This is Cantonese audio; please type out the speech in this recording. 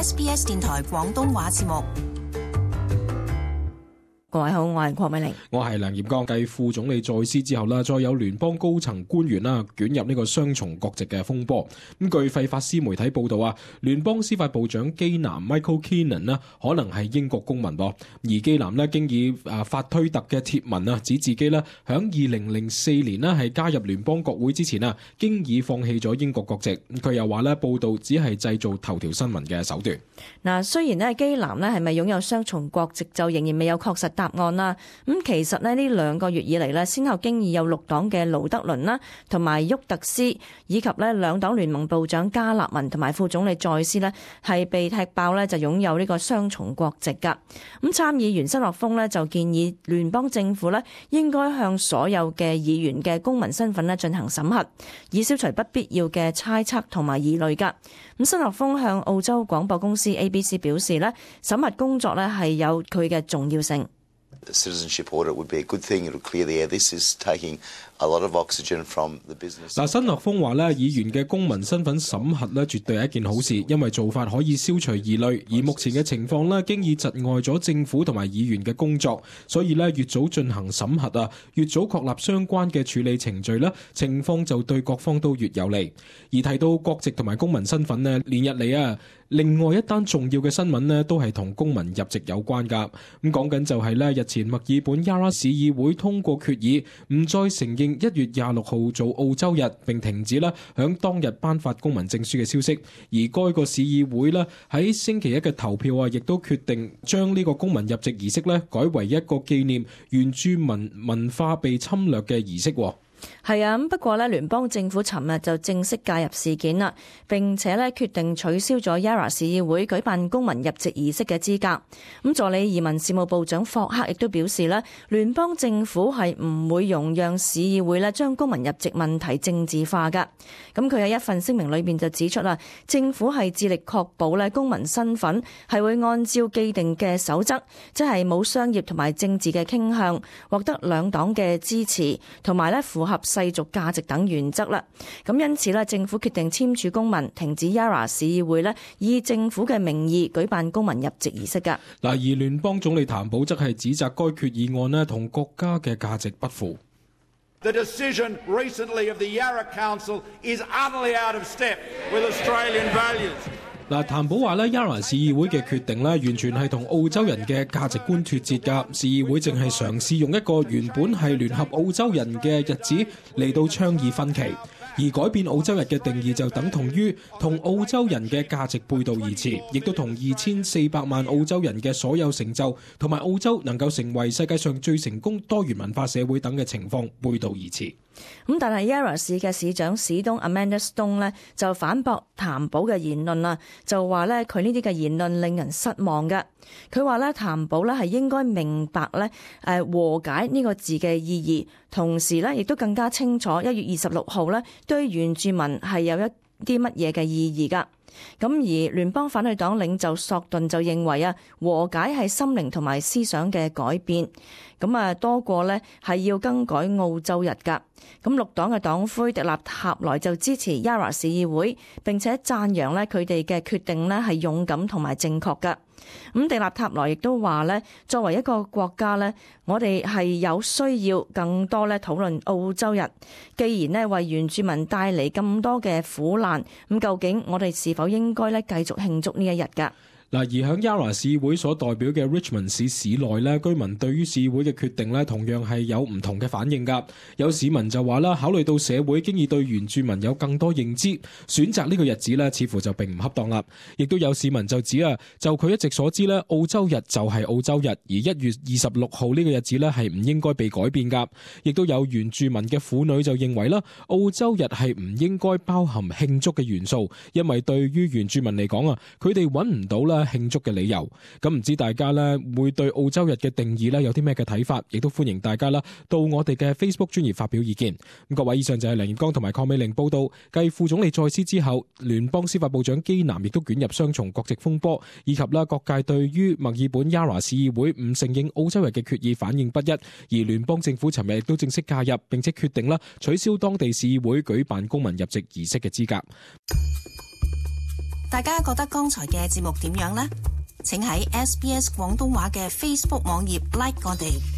SBS 電台廣東話節目。各位好，我係鄺美玲，我係梁焱剛。繼副總理在司之後啦，再有聯邦高層官員啦捲入呢個雙重國籍嘅風波。咁據費法斯媒體報道啊，聯邦司法部長基南 Michael Keenan 啦，可能係英國公民噃。而基南咧經以發推特嘅貼文啊，指自己咧響2004年咧係加入聯邦國會之前啊，經已放棄咗英國國籍。佢又話咧報道只係製造頭條新聞嘅手段。嗱，雖然咧基南咧係咪擁有雙重國籍就仍然未有確實答案啦。咁其實咧呢2個月以嚟咧，先後經已有綠黨嘅勞德倫啦，同埋沃特斯，以及咧兩黨聯盟部長加納文同埋副總理在斯咧，係被踢爆咧就擁有呢個雙重國籍噶。咁參議員斯諾峰咧就建議聯邦政府咧應該向所有嘅議員嘅公民身份咧進行審核，以消除不必要嘅猜測同埋疑慮噶。咁斯諾峰向澳洲廣播公司 ABC 表示咧，審核工作咧係有佢嘅重要性。Citizenship audit would be a good thing. It would clear the air. This is taking a lot of oxygen from the business. 嗱，新樂峰話咧，議員嘅公民身份審核咧，絕對係一件好事，因為做法可以消除疑慮。而目前嘅情況咧，經已窒礙咗政府同埋議員嘅工作，所以咧越早進行審核啊，越早確立相關嘅處理程序咧，情況就對各方都越有利。而提到國籍同埋公民身份咧，連日嚟啊，另外一單重要嘅新聞咧，都係同公民入籍有關㗎。咁講緊就係咧，日前墨爾本 Yarra 市議會通過決議，唔再承認1月26號做澳洲日，並停止咧響當日頒發公民證書嘅消息。而該個市議會咧喺星期一嘅投票啊，亦都決定將呢個公民入籍儀式咧改為一個紀念原住民文化被侵略嘅儀式。係啊，不過咧，聯邦政府尋日就正式介入事件啦，並且咧決定取消咗 Yarra 市議會舉辦公民入籍儀式嘅資格。咁助理移民事務部長霍克亦都表示咧，聯邦政府係唔會容讓市議會咧將公民入籍問題政治化噶。咁佢喺一份聲明裏邊就指出啦，政府係致力確保咧公民身份係會按照既定嘅守則，即係冇商業同埋政治嘅傾向，獲得兩黨嘅支持，同埋咧符合世俗價值等原則啦。咁因此咧，政府決定簽署公文，停止 Yarra 市議會咧以政府嘅名義舉辦公民入籍儀式噶。嗱，而聯邦總理譚寶則係指責該決議案咧同國家嘅價值不符。The decision recently of the Yarra Council is utterly out of step with Australian values. 嗱，譚寶話咧，Yarra 市議會嘅決定咧，完全係同澳洲人嘅價值觀脫節㗎。市議會淨係嘗試用一個原本係聯合澳洲人嘅日子嚟到倡議分歧，而改變澳洲日嘅定義就等同於同澳洲人嘅價值背道而馳，亦都同2400萬澳洲人嘅所有成就同埋澳洲能夠成為世界上最成功多元文化社會等嘅情況背道而馳。咁但係 Yarra 市嘅市長史東 Amanda Stone 咧就反駁譚寶嘅言論啦，就話咧佢呢啲嘅言論令人失望嘅。佢話咧譚寶咧係應該明白咧和解呢個字嘅意義，同時咧亦都更加清楚1月26號咧對原住民係有一啲乜嘢嘅意義㗎。咁而聯邦反對黨領袖索頓就認為啊，和解係心靈同埋思想嘅改變，咁多過呢係要更改澳洲日㗎。咁綠黨嘅黨魁迪納塔萊就支持 Yarra 市議會，並且讚揚呢佢哋嘅決定呢係勇敢同埋正確㗎。咁迪納塔萊亦都話呢，作為一個國家呢，我哋係有需要更多呢討論澳洲日。既然呢為原住民帶嚟咁多嘅苦難，咁究竟我哋是否應該呢繼續慶祝呢一日㗎？嗱，而喺 Yarra 市會所代表嘅 Richmond 市市內咧，居民對於市會嘅決定咧，同樣係有唔同嘅反應㗎。有市民就話啦，考慮到社會經已對原住民有更多認知，選擇呢個日子咧，似乎就並唔恰當啦。亦都有市民就指啊，就佢一直所知咧，澳洲日就係澳洲日，而1月26號呢個日子咧係唔應該被改變㗎。亦都有原住民嘅婦女就認為啦，澳洲日係唔應該包含慶祝嘅元素，因為對於原住民嚟講啊，佢哋揾唔到啦慶祝嘅理由。咁唔知大家咧會對澳洲日嘅定義咧有啲咩嘅睇法？亦都歡迎大家啦到我哋嘅 Facebook 專頁發表意見。咁各位，以上就係梁焱剛同埋鄺美玲報道。繼副總理在司之後，聯邦司法部長基南亦都捲入雙重國籍風波，以及啦各界對於墨爾本 Yarra 市議會唔承認澳洲日嘅決議反應不一。而聯邦政府尋日亦都正式介入，並且決定啦取消當地市議會舉辦公民入籍儀式嘅資格。大家覺得剛才嘅節目點樣呢？請喺SBS 廣東話嘅 Facebook 網頁 like 我哋。